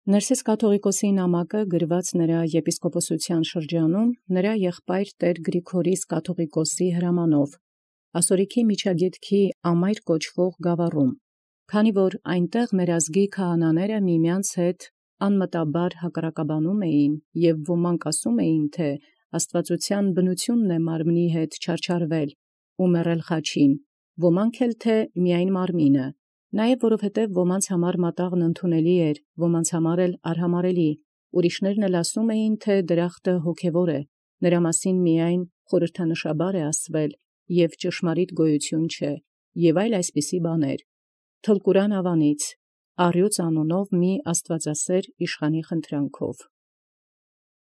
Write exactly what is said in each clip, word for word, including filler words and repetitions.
Ներսես կաթողիկոսի նամակը գրված նրա եպիսկոպոսության շրջանում նրա եղբայր տեր Գրիգորիս կաթողիկոսի հրամանով ասորիքի միջագետքի ամայր կոչվող գավառում, քանի որ այնտեղ մեր ազգի քահանաները միմյանց հետ անմտաբար հակառակաբանում էին և ոմանք ասում էին, թե աստվածության բնությունն է մարմնի հետ չարչարվել ու մեռել խաչին, ոմանք էլ թե միայն մարմինը, նաև որովհետև ոմանց համար մատաղն ընդունելի էր, ոմանց համար էլ արհամարելի, ուրիշներն էլ ասում էին, թե դրախտը հոգևոր է, նրա մասին միայն խորհրդանշաբար է ասվել և ճշմարիտ գոյություն չէ, և այլ այսպիսի բաներ, թլկուրան ավանից, Առյուծ անունով մի աստվածասեր իշխանի խնդրանքով։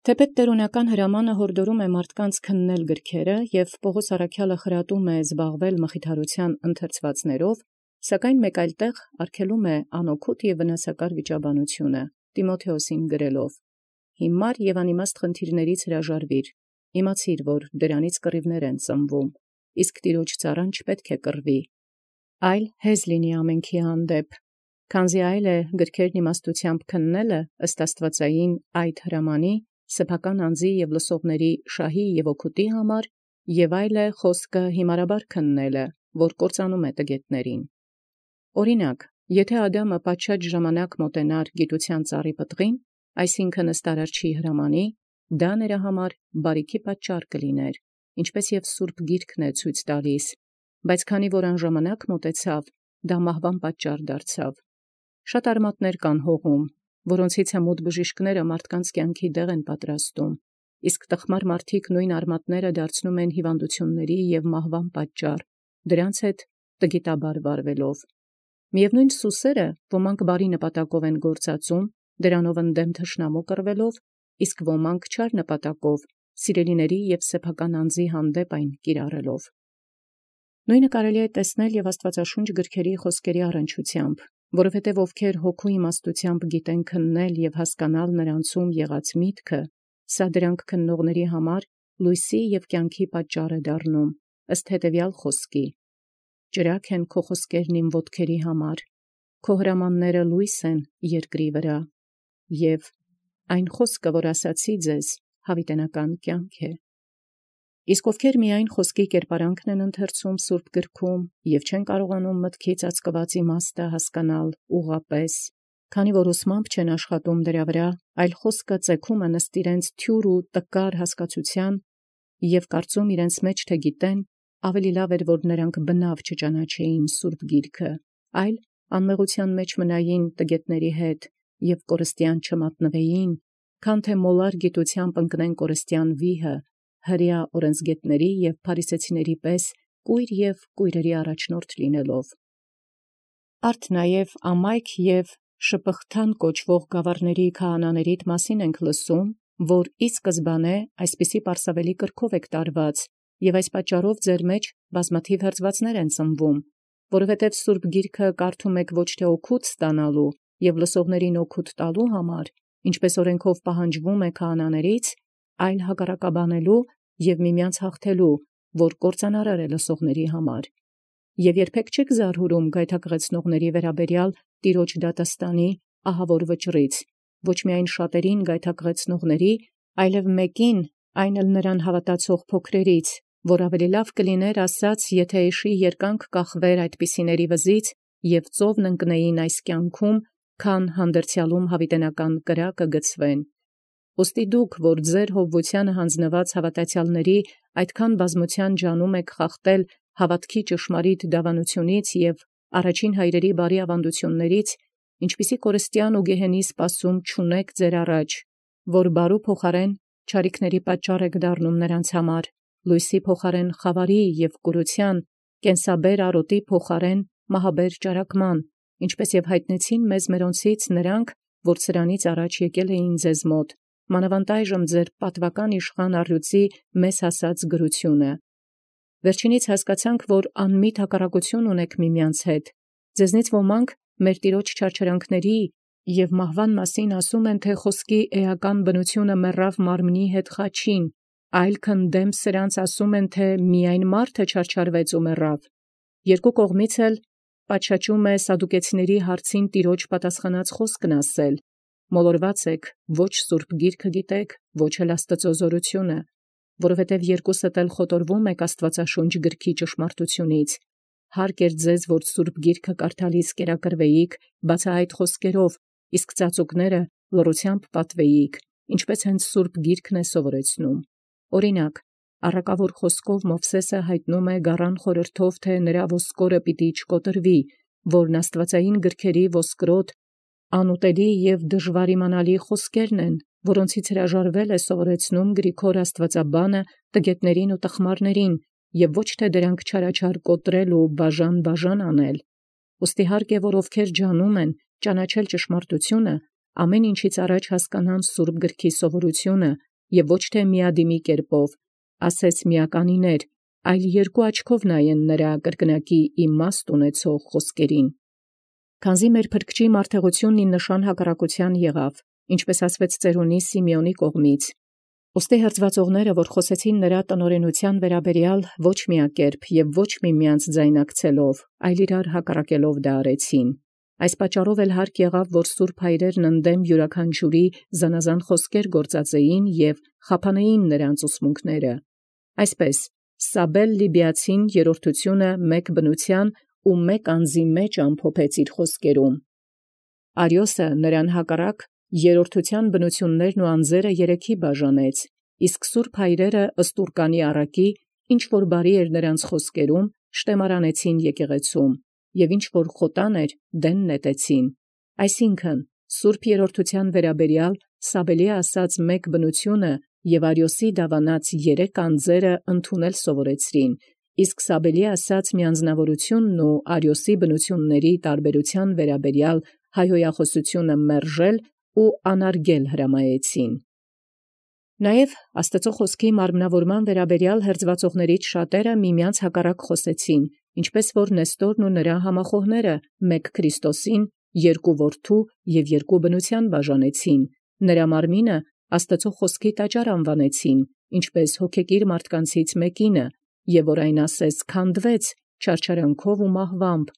Թեպետ տերունական հրամանը հորդորում է մարդկանց քննել գրքերը և Պողոս առաքյալը խրատում է զբաղվել մխիթարության ընթերցվածներով, սակայն մեկ այլ տեղ արգելում է անօգուտ և վնասակար վիճաբանությունը, Տիմոթեոսին գրելով. «Հիմար և անիմաստ խնդիրներից հրաժարվիր, իմացիր, որ դրանից կռիվներ են ծնվում, իսկ Տիրոջ ծառան չպետք է կռվի, այլ հեզ լինի ամենքի հանդեպ, քանզի այլ է գրքերն իմաստութեամբ քննելը ըստ աստվածային այդ հրամանի, սեփական անձի և լսողների շահի և օգուտի համար, և այլ է խոսքը հիմարաբար քննելը, որ կործանում է տգետներին։ Օրինակ, եթե Ադամը պատշաճ ժամանակ մոտենար գիտության ծառի պտղին, այսինքն ըստ Արարչի հրամանի, դա նրա համար բարիքի պատճառ կլիներ, ինչպես և Սուրբ Գիրքն է ցույց տալիս, բայց քանի որ անժամանակ մոտեցավ, դա մահվան պատճառ դարձավ։ Շատ արմատներ կան հողում, որոնցից հմուտ բժիշկները մարդկանց կյանքի դեղ են պատրաստում, իսկ տխմար մարդիկ նույն արմատները դարձնում են հիվանդությունների և մահվան պատճառ, դրանց հետ տգիտաբար վարվելով։ Միևնույն սուսերը ոմանք բարի նպատակով են գործածում, դրանով ընդդեմ թշնամու կռվելով, իսկ ոմանք չար նպատակով, սիրելիների և սեփական անձի հանդեպ այն կիրառելով։ Նույնը կարելի է տեսնել և աստվածաշունչ գրքերի խոսքերի առնչությամբ, որովհետև ովքեր հոգու իմաստությամբ գիտեն քննել և հասկանալ նրանցում եղած միտքը, սա դրանք քննողների համար լույսի և կյանքի պատճառ է դառնում, ըստ հետևյալ խոսքի. «Ճրագ են քո խոսքերն իմ ոտքերի համար, քո հրամանները լույս են երկրի վրա», և «Այն խոսքը, որ ասացի ձեզ, հավիտենական կյանք է»։ Իսկ ովքեր միայն խոսքի կերպարանքն են ընթերցում սուրբ գրքում և չեն կարողանում մտքի ծածկված իմաստը հասկանալ ուղղապես, քանի որ ուսմամբ չեն աշխատում դրա վրա, այլ խոսքը ծեգում են ըստ իրենց թյուր ու տկար հասկացության և կարծում իրենց մեջ թե գիտեն, ավելի լավ էր, որ նրանք բնավ չճանաչեին սուրբ Գիրքը, այլ անմեղության մեջ մնային տգետների հետ և կորստյան չմատնվեին, քան թե մոլար գիտությամբ ընկնեն կորստյան վիհը, հրեա օրենսգետների և փարիսեցիների պես կույր և կույրերի առաջնորդ լինելով։ Արդ նաև ամայք և Շպղթան կոչվող գավառների քահանաներիդ մասին ենք լսում, որ ի սկզբանե այսպիսի պարսավելի կրքով եք տարված, և այս պատճառով ձեր մեջ բազմաթիվ հրձվածներ են ծնվում, որովհետև սուրբ Գիրքը կարդում եք ոչ թե օգուտ ստանալու և լսողներին օգուտ տալու համար, ինչպես օրենքով պահանջվում է քահանաներից, այլ հակառակաբանելու և միմյանց հաղթելու, որ կործանարար է լսողների համար։ Եվ երբեք չեք զարհուրում գայթակղեցնողների վերաբերյալ Տիրոջ դատաստանի ահավոր վճռից, ոչ միայն շատերին գայթակղեցնողների, այլև մեկին, այն էլ նրան հավատացող փոքրերից, որ ավելի լավ կլիներ ասած, եթե էշի երկանք կախվեր այդպիսիների վզից և ծովն ընկնեին այս կյանքում, քան հանդերձյալում հավիտենական կրակը գցվեն։ Ուստի դուք, որ ձեր հովվությանը հանձնված հավատացյալների այդքան բազմության ջանում եք խախտել հավատքի ճշմարիտ դավանությունից և առաջին հայրերի բարի ավանդություններից, ինչպիսի կորստյան ու գեհենի սպասում չունեք ձեր առաջ, որ բարու փոխարեն չարիքների պատճառ եք դառնում նրանց համար, լույսի փոխարեն խավարի և կուրության, կենսաբեր արոտի փոխարեն մահաբեր ճարակման, ինչպես և հայտնեցին մեզ մերոնցից նրանք, որ սրանից առաջ եկել էին ձեզ մոտ, մանավանդ այժմ ձեր պատվական իշխան առյուծի մեզ հասած գրությունը։ Վերջինից հասկացանք, որ անմիտ հակառակություն ունեք միմյանց հետ. ձեզնից ոմանք մեր Տիրոջ չարչարանքների և մահվան մասին ասում են, թե խոսքի էական բնությունը մեռավ մարմնի հետ խաչին, այլ քն դեմ սրանց ասում են, թե միայն մարդը չարչարվեց ու մեռավ։ Երկու կողմից էլ պատշաճում է սադուկեցիների հարցին Տիրոջ պատասխանած խոսքն ասել, մոլորված եք, ոչ սուրբ գիրքը գիտեք, ոչ էլ Աստուծո զորությունը, որովհետև երկուսդ էլ խոտորվում եք Աստուածաշունչ գրքի ճշմարտութիւնից. հարկ էր ձեզ, որ սուրբ գիրքը կարդալից կերակրվեիք, բացահայտ խոսքերով, իսկ ծածուկները լռությամբ պատվեիք, ինչպես հենց սուրբ գիրքն է սովորեցնում։ Օրինակ, առակավոր խոսքով Մովսէսը հայտնում է գառան խորհրդով, թե նրա ոսկորը պիտի չկոտրվի, որն աստվածային գրքերի ոսկրոտ, անուտելի և դժվար իմանալի խոսքերն են, որոնցից հրաժարվել է սովորեցնում Գրիգոր աստվածաբանը տգետներին ու տխմարներին, և ոչ թե դրանք չարաչար կոտրել ու բաժան-բաժան անել։ Ուստի հարկ է, որ ովքեր ջանում են ճանաչել ճշմարտությունը, ամեն ինչից առաջ հասկանան սուրբ գրքի սովորությունը և ոչ թե միադիմի կերպով, ասես միականիներ, այլ երկու աչքով նայեն նրա կրկնակի իմաստ ունեցող խոսքերին։ Քանզի մեր փրկչի մարդեղությունն ի նշան հակառակության եղավ, ինչպես ասվեց ծերունի Սիմեոնի կողմից։ Ուստի հրձվածողները, որ խոսեցին նրա տնօրենության վերաբերյալ ոչ միակերպ և ոչ միմյանց ձայնակցելով, այլ իրար հակառակելով դա արեցին։ Այս պատճառով էլ հարկ եղավ, որ սուրբ հայրերն ընդդեմ յուրաքանչյուրի զանազան խոսքեր գործածեին և խափանեին նրանց ուսմունքները։ Այսպես Սաբել Լիբիացին երրորդությունը մեկ բնության ու մեկ անձի մեջ ամփոփեց իր խոսքերում։ Արիոսը նրան հակառակ երրորդության բնություններն ու անձերը երեքի բաժանեց, իսկ սուրբ հայրերը ըստ ուռկանի առակի, ինչ որ բարի էր նրանց խոսքերում, շտեմարանեցին եկեղեցում, և ինչ որ խոտան էր, դեն նետեցին։ Այսինքն, սուրբ երրորդության վերաբերյալ Սաբելի ասաց մեկ բնությունը և Արիոսի դավանած երեք անձերը ընդունել սովորեցրին, իսկ Սաբելի ասաց միանձնավորությունն ու Արիոսի բնությունների տարբերության վերաբերյալ հայհոյախոսությունը մերժել ու անարգել հրամայեցին։ Նաև Աստուծո խոսքի մարմնավորման վերաբերյալ հրձվածողներից շատերը միմյանց հակառակ խոսեցին, ինչպես որ Նեստորն ու նրա համախոհները մեկ Քրիստոսին երկու որդու և երկու բնության բաժանեցին, նրա մարմինը Աստուծո խոսքի տաճար անվանեցին, ինչպես հոգեկիր մարդկանցից մեկինը, և որ այն ասես քանդվեց չարչարանքով ու մահվամբ,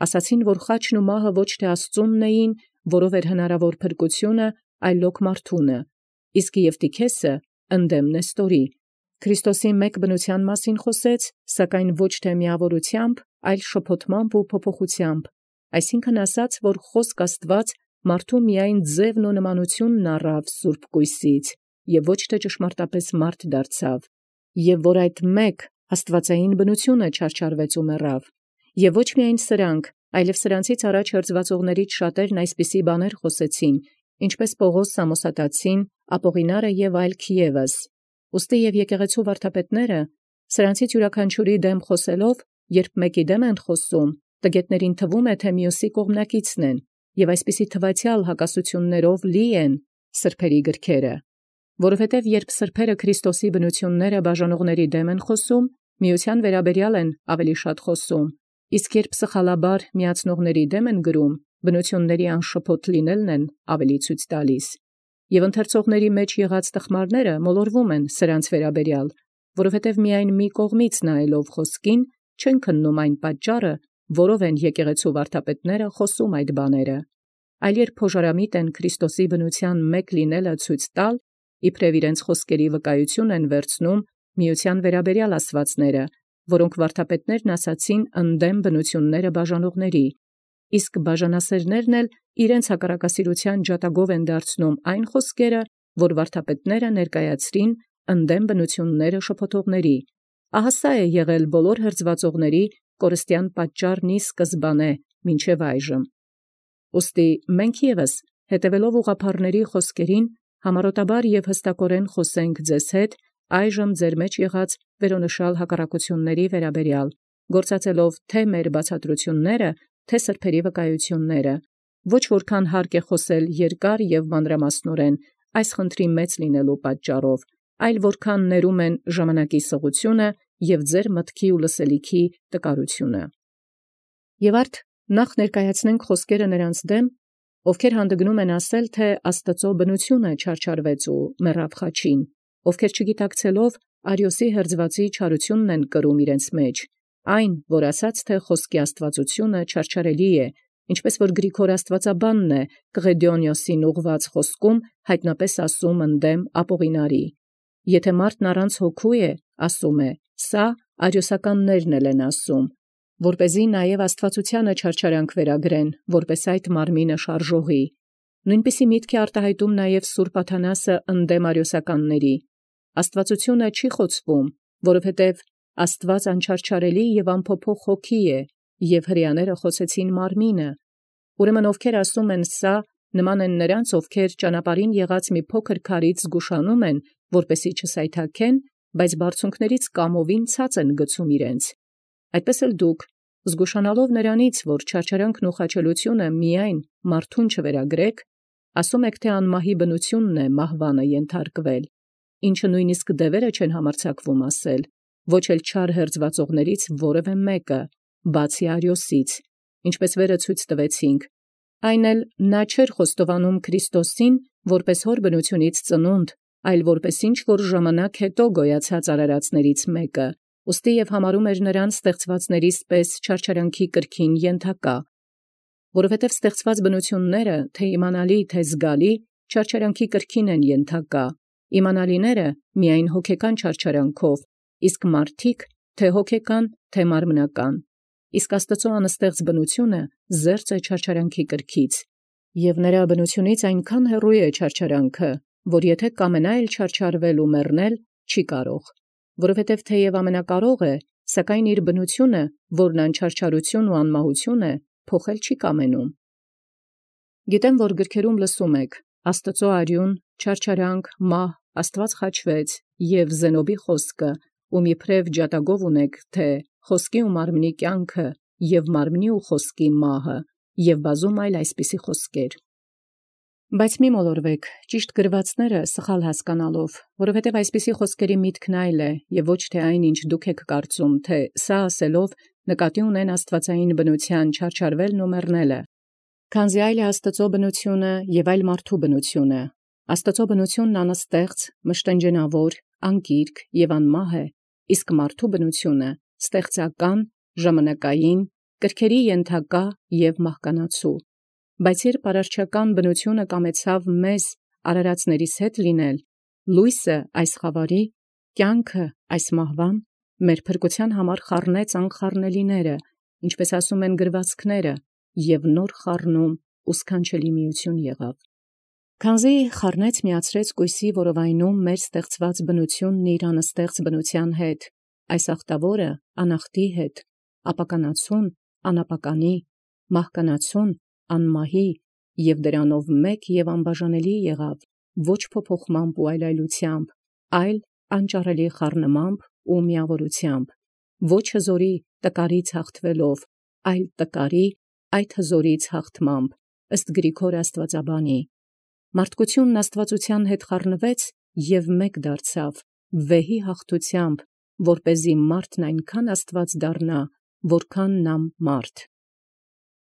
ասացին, որ խաչն ու մահը ոչ թե Աստծունն էին, որով էր հնարավոր փրկությունը, այլ լոկ մարդունը, իսկ Եվտիքեսը ընդդեմ Նեստորի Քրիստոսի մեկ բնության մասին խոսեց, սակայն ոչ թե միավորությամբ, այլ շփոթմամբ ու փոփոխությամբ, այսինքն ասաց, որ խոսք Աստված մարդու միայն ձևն ու նմանությունն առավ սուրբ կույսից, և ոչ թե ճշմարտապես մարդ դարձավ, և որ այդ մեկ աստվածային բնությունը չարչարվեց ու մեռավ, և ոչ միայն սրանք, այլև սրանցից առաջ հրձվածողներից շատերն այսպիսի բաներ խոսեցին, ինչպես Պողոս Սամոսատացին, Ապողինարը և այլք ևս։ Ուստի և եկեղեցու վարդապետները սրանցից յուրաքանչյուրի դեմ խոսելով, երբ մեկի դեմ են խոսում, տգետներին թվում է, թե մյուսի կողմնակիցն են, և այսպիսի թվացյալ հակասություններով լի են սրբերի գրքերը, որովհետև երբ սրբերը Քրիստոսի բնությունները բաժանողների դեմ են խոսում, միության վերաբերյալ են ավելի շատ խոսում, իսկ երբ սխալաբար միացնողների դեմ են գրում, բնությունների անշփոթ լինելն են ավելի ցույց տալիս, և ընթերցողների մեջ եղած տխմարները մոլորվում են սրանց վերաբերյալ, որովհետև միայն մի կողմից նայելով խոսքին չեն քննում այն պատճառը, որով են եկեղեցու վարդապետները խոսում այդ բաները, այլ երբ փոժարամիտ են Քրիստոսի բնության մեկ լինելը ցույց տալ, իբրև իրենց խոսքերի վկայություն են վերցնում միության վերաբերյալ ասվածները, որոնք վարդապետներն ասացին ընդդեմ բնությունները բաժանողների, իսկ բաժանասերներն էլ իրենց հակառակասիրության ջատագով են դարձնում այն խոսքերը, որ վարդապետները ներկայացրին ընդդեմ բնությունները շփոթողների։ Ահա սա է եղել բոլոր հրձվածողների կորստյան պատճառն ի սկզբանե մինչև այժմ։ Ուստի մենք ևս, հետևելով ուղղափառների խոսքերին, համառոտաբար և հստակորեն խոսենք ձեզ հետ այժմ ձեր մեջ եղած վերոնշյալ հակառակությունների վերաբերյալ, գործածելով թե մեր բացատրությունները, թե սրբերի վկայությունները, ոչ որքան հարկ է խոսել երկար և մանրամասնորեն այս խնդրի մեծ լինելու պատճառով, այլ որքան ներում են ժամանակի սղությունը և ձեր մտքի ու լսելիքի տկարությունը։ Եվ արդ նախ ներկայացնենք խոսքերը նրանց դեմ, ովքեր հանդգնում են ասել, թե Աստուծո բնությունը չարչարվեց ու մեռավ խաչին, ովքեր չգիտակցելով Արիոսի հրձվածի չարությունն են կրում իրենց մեջ, այն, որ ասաց, թե խոսքի աստվածությունը չարչարելի է, Ինչպես որ Գրիգոր Աստուածաբանն է Կղեդոնիոսին ուղված խոսքում հայտնապես ասում ընդդեմ Ապողինարի. «Եթե մարդն առանց հոգու է, ասում է, սա արիոսականներն են ասում, որպեսզի նաև աստվածությանը չարչարանք վերագրեն, որպես այդ մարմինը շարժողի։ Նույնպիսի միտք է արտահայտում նաև Սուրբ Աթանասը ընդդեմ արիոսականների. Աստվածությունը չի խոցվում, որովհետև Աստված անչարչարելի և անփոփոխ հոգի է, և հրեաները խոցեցին մարմինը։ Ուրեմն ովքեր ասում են սա, նման են նրանց, ովքեր ճանապարհին եղած մի փոքր քարից զգուշանում են, որպեսզի չսայթաքեն, բայց բարձունքներից կամովին ցած են գցում իրենց։ Այդպես էլ դուք, զգուշանալով նրանից, որ չարչարանքն ու խաչելությունը միայն մարդուն չվերագրեք, ասում եք, թե անմահի բնությունն է մահվանը ենթարկվել, ինչը նույնիսկ դևերը չեն համարձակվում ասել, ոչ էլ չար հերձվածողներից որևէ մեկը, բացի Արիոսից, ինչպես վերը ցույց տվեցինք, այն էլ նա չէր խոստովանում Քրիստոսին, որպես հոր բնությունից ծնունդ, այլ որպես ինչ որ ժամանակ հետո գոյացած արարածներից մեկը, ուստի և համարում էր նրան ստեղծվածներից պես չարչարանքի կրքին ենթակա, որովհետև ստեղծված բնությունները, թե իմանալի, թե զգալի, չարչարանքի կրքին են ենթակա, իմանալիները միայն հոգեկան չարչարանքով, իսկ մարդիկ թե հոգեկան, թե մարմնական, իսկ Աստծո անստեղծ բնությունը զերծ է չարչարանքի կրքից, և նրա բնությունից այնքան հեռու է չարչարանքը, որ եթե կամենա էլ չարչարվել ու մեռնել, չի կարող, որովհետև թեև ամենակարող է, սակայն իր բնությունը, որն անչարչարություն ու անմահություն է, փոխել չի կամենում։ Գիտեմ, որ գրքերում լսում եք. Աստծո արյուն, չարչարանք, մահ, Աստված խաչվեց, և Զենոբի խոսքը, ում իբրև ջատագով ունեք, թե խոսքի ու մարմնի կյանքը, և մարմնի ու խոսքի մահը, և բազում այլ այսպիսի խոսքեր։ Բայց մի մոլորվեք, ճիշտ գրվածները սխալ հասկանալով, որովհետև այսպիսի խոսքերի միտքն այլ է, և ոչ թե այն, ինչ դուք եք կարծում, թե սա ասելով նկատի ունեն աստվածային բնության չարչարվելն ու մեռնելը, քանզի այլ է Աստծո բնությունը և այլ մարդու բնությունը։ Աստծո բնությունն անստեղծ, մշտնջենավոր, անկիրք և անմահ է, իսկ մարդու բնությունը ստեղծական, ժամանակային, կրքերի ենթակա և մահկանացու։ Բայց երբ արարչական բնությունը կամեցավ մեզ արարածներիս հետ լինել, լույսը այս խավարի, կյանքը այս մահվան, մեր փրկության համար խառնեց անխառնելիները, ինչպես ասում են գրվածքները, և նոր խառնում ու սքանչելի միություն եղավ։ Քանզի խառնեց միացրեց կույսի որովայնում մեր ստեղծված բնությունն իր անստեղծ բնության հետ, այս ախտավորը անախտի հետ, ապականացուն անապականի, մահկանացուն անմահի, և դրանով մեկ և անբաժանելի եղավ, ոչ փոփոխմամբ ու այլայլությամբ, այլ անճարելի խառնմամբ ու միավորությամբ, ոչ հզորի տկարից հաղթվելով, այլ տկարի այդ հզորից հաղթմամբ, ըստ Գրիգոր Աստուածաբանի։ Մարդկությունն աստվածության հետ խառնվեց և մեկ դարձավ, վեհի հաղթությամբ, որպեսզի մարդն այնքան աստված դառնա, որքան նա մարդ։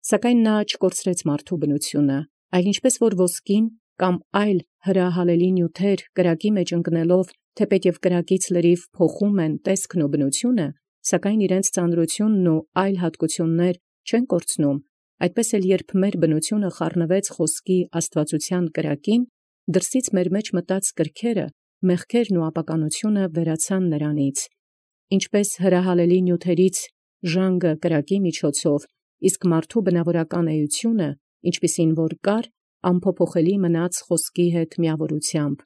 Սակայն նա չկորցրեց մարդու բնությունը, այլ ինչպես որ ոսկին կամ այլ հրահալելի նյութեր կրակի մեջ ընկնելով, թեպետև կրակից լրիվ փոխում են տեսքն ու բնությունը, սակայն իրենց ծանրությունն ու այլ հատկություններ չեն կորցնում, այդպես էլ երբ մեր բնությունը խառնվեց խոսքի աստվածության կրակին, դրսից մեր մեջ մտած կրքերը, մեղքերն ու ապականությունը վերացան նրանից, ինչպես հրահալելի նյութերից ժանգը կրակի միջոցով, իսկ մարդու բնավորական էությունը, ինչպիսին որ կար, անփոփոխելի մնաց խոսքի հետ միավորությամբ։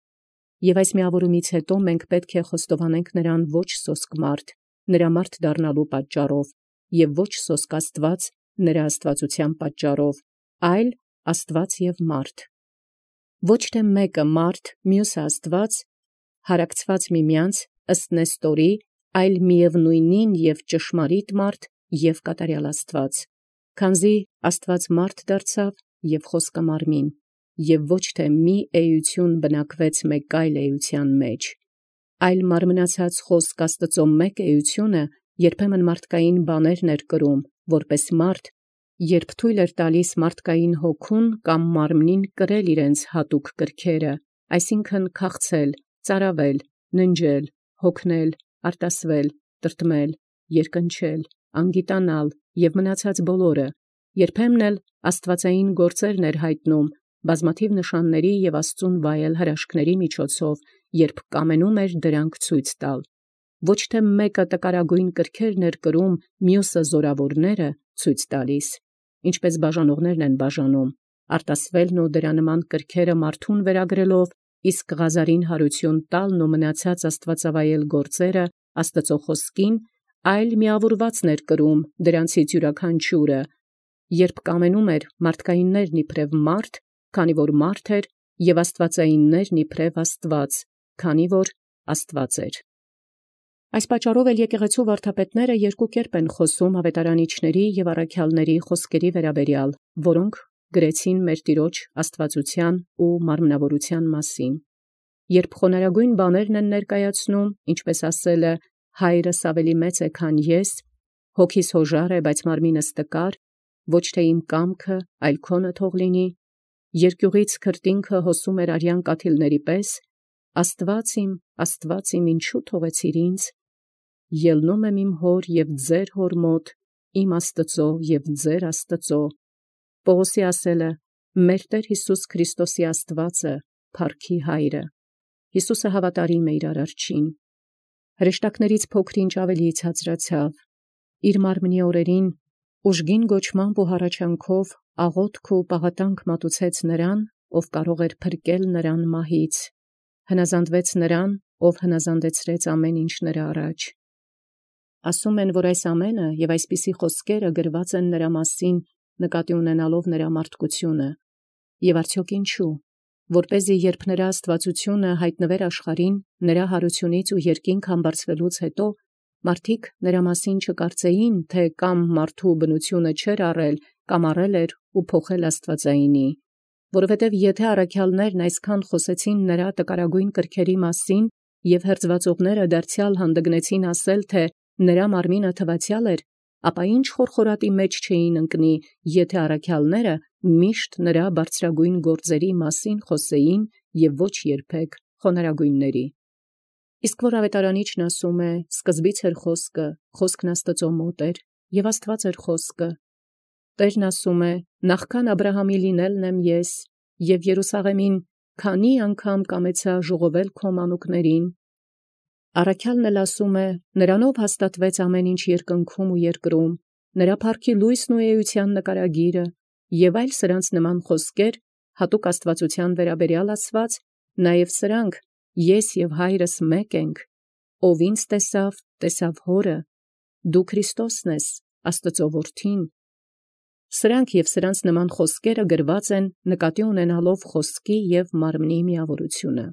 Եվ այս միավորումից հետո մենք պետք է խոստովանենք նրան ոչ սոսկ մարդ, նրա մարդ դառնալու պատճառով, և ոչ սոսկ Աստված, նրա աստվածության պատճառով, այլ Աստված և մարդ։ Ոչ թե մեկը մարդ, մյուսը Աստված, հարակցված միմյանց ըստ Նեստորի, այլ միևնույնին և ճշմարիտ մարդ և կատարյալ Աստված, քանզի Աստված մարդ դարձավ և խոսքը մարմին, և ոչ թե մի էություն բնակվեց մեկ այլ էության մեջ, այլ մարմնացած խոսք Աստծո մեկ էությունը երբեմն մարդկային բաներն էր կրում, որպես մարդ, երբ թույլ էր տալիս մարդկային հոգուն կամ մարմնին կրել իրենց հատուկ կրքերը, այսինքն քաղցել, ծարավել, ննջել, հոգնել, արտասվել, տրտմել, երկնչել, անգիտանալ և մնացած բոլորը, երբեմն էլ աստուածային գործերն էր յայտնում, բազմաթիվ նշանների և Աստուծոյ վայել հրաշքների միջոցով, երբ կամենում էր դրանք ցույց տալ։ Ոչ թե մեկը տկարագոյն կրքերն էր կրում, մյուսը զորաւորները ցույց տալիս, ինչպէս բաժանողներն են բաժանում, արտասվելն ու դրա նման կրքերը մարդուն վերագրելով, իսկ Ղազարին հարություն տալն ու մնացած աստուածավայել գործերը Աստուծոյ խոսքին, այլ միավորվածն էր կրում դրանցից յուրաքանչիւրը, երբ կամենում էր մարդկայիններն իբրև մարդ, քանի որ մարդ էր, և աստուածայիններն իբրև Աստուած, քանի որ Աստուած էր։ Այս պատճառով էլ եկեղեցու վարդապետները երկու կերպ են խոսում աւետարանիչների և առաքյալների խոսքերի վերաբերյալ, որոնք գրեցին մեր Տեառն աստուածութեան ու մարմնավորութեան մասին։ Երբ խոնարհագոյն բաներն են ներկայացնում, ինչպէս ասել է, հայրս ավելի մեծ է, քան ես, հոգիս հոժար է, բայց մարմինս տկար, ոչ թե իմ կամքը, այլ քոնը թող լինի, երկյուղից քրտինքը հոսում էր արյան կաթիլների պես, Աստուած իմ, Աստուած իմ, ինչու թողեցիր ինձ, ելնում եմ իմ հոր և ձեր հոր մոտ, իմ Աստուծոյ և ձեր Աստուծոյ։ Պողոսի ասել է, մեր Տէր Յիսուս Քրիստոսի Աստուածը, փառքի Հայրը։ Յիսուսը հավատարիմ է իր արարչին։ Հրեշտակներից փոքր-ինչ ավելի ցածրացավ, իր մարմնի օրերին ուժգին գոչմամբ ու հառաչանքով աղոթք ու պաղատանք մատուցեց նրան, ով կարող էր փրկել նրան մահից, հնազանդվեց նրան, ով հնազանդեցրեց ամեն ինչ նրա առաջ։ Ասում են, որ այս ամենը և այսպիսի խոսքերը գրված են նրա մասին, նկատի ունենալով նրա մարդկությունը, և արդյոք ինչու, որպեսզի երբ նրա աստուածությունը յայտնվեր աշխարհին, նրա յարությունից ու երկինք համբարձվելուց հետո, մարդիկ նրա մասին չկարծեին, թե կամ մարդու բնությունը չէր առել, կամ առել էր ու փոխել աստուածայինի, որովհետև եթե առաքյալներն այսքան խոսեցին նրա տկարագոյն կրքերի մասին, և հերձվածողները դարձեալ յանդգնեցին ասել, թե նրա մարմինը թվացեալ էր, ապա ինչ խորխորատի մեջ չէին ընկնի, եթե առաքյալները միշտ նրա բարձրագոյն գործերի մասին խոսեին և ոչ երբեք խոնարհագոյնների։ Իսկ որ աւետարանիչն ասում է. «Սկզբից էր խոսքը, խոսքն Աստուծոյ մոտ էր, և Աստուած էր խոսքը», Տէրն ասում է. «Նախքան Աբրահամի լինելն եմ ես, և Երուսաղեմին քանի անգամ կամեցայ ժողովել քո մանուկներին»։ Առաքյալն էլ ասում է. «Նրանով հաստատվեց ամեն ինչ երկնքում ու երկրում, նրա փառքի լույսն ու էության նկարագիրը, և այլ սրանց նման խոսքեր, հատուկ աստուածութեան վերաբերյալ ասված, նաև սրանք, ես և Հայրս մեկ ենք, ով ինձ տեսաւ, տեսաւ Հորը, դու Քրիստոսն ես, Աստուծոյ որդին»։ Սրանք և սրանց նման խոսքերը գրված են նկատի ունենալով խոսքի և մարմնի միավորությունը։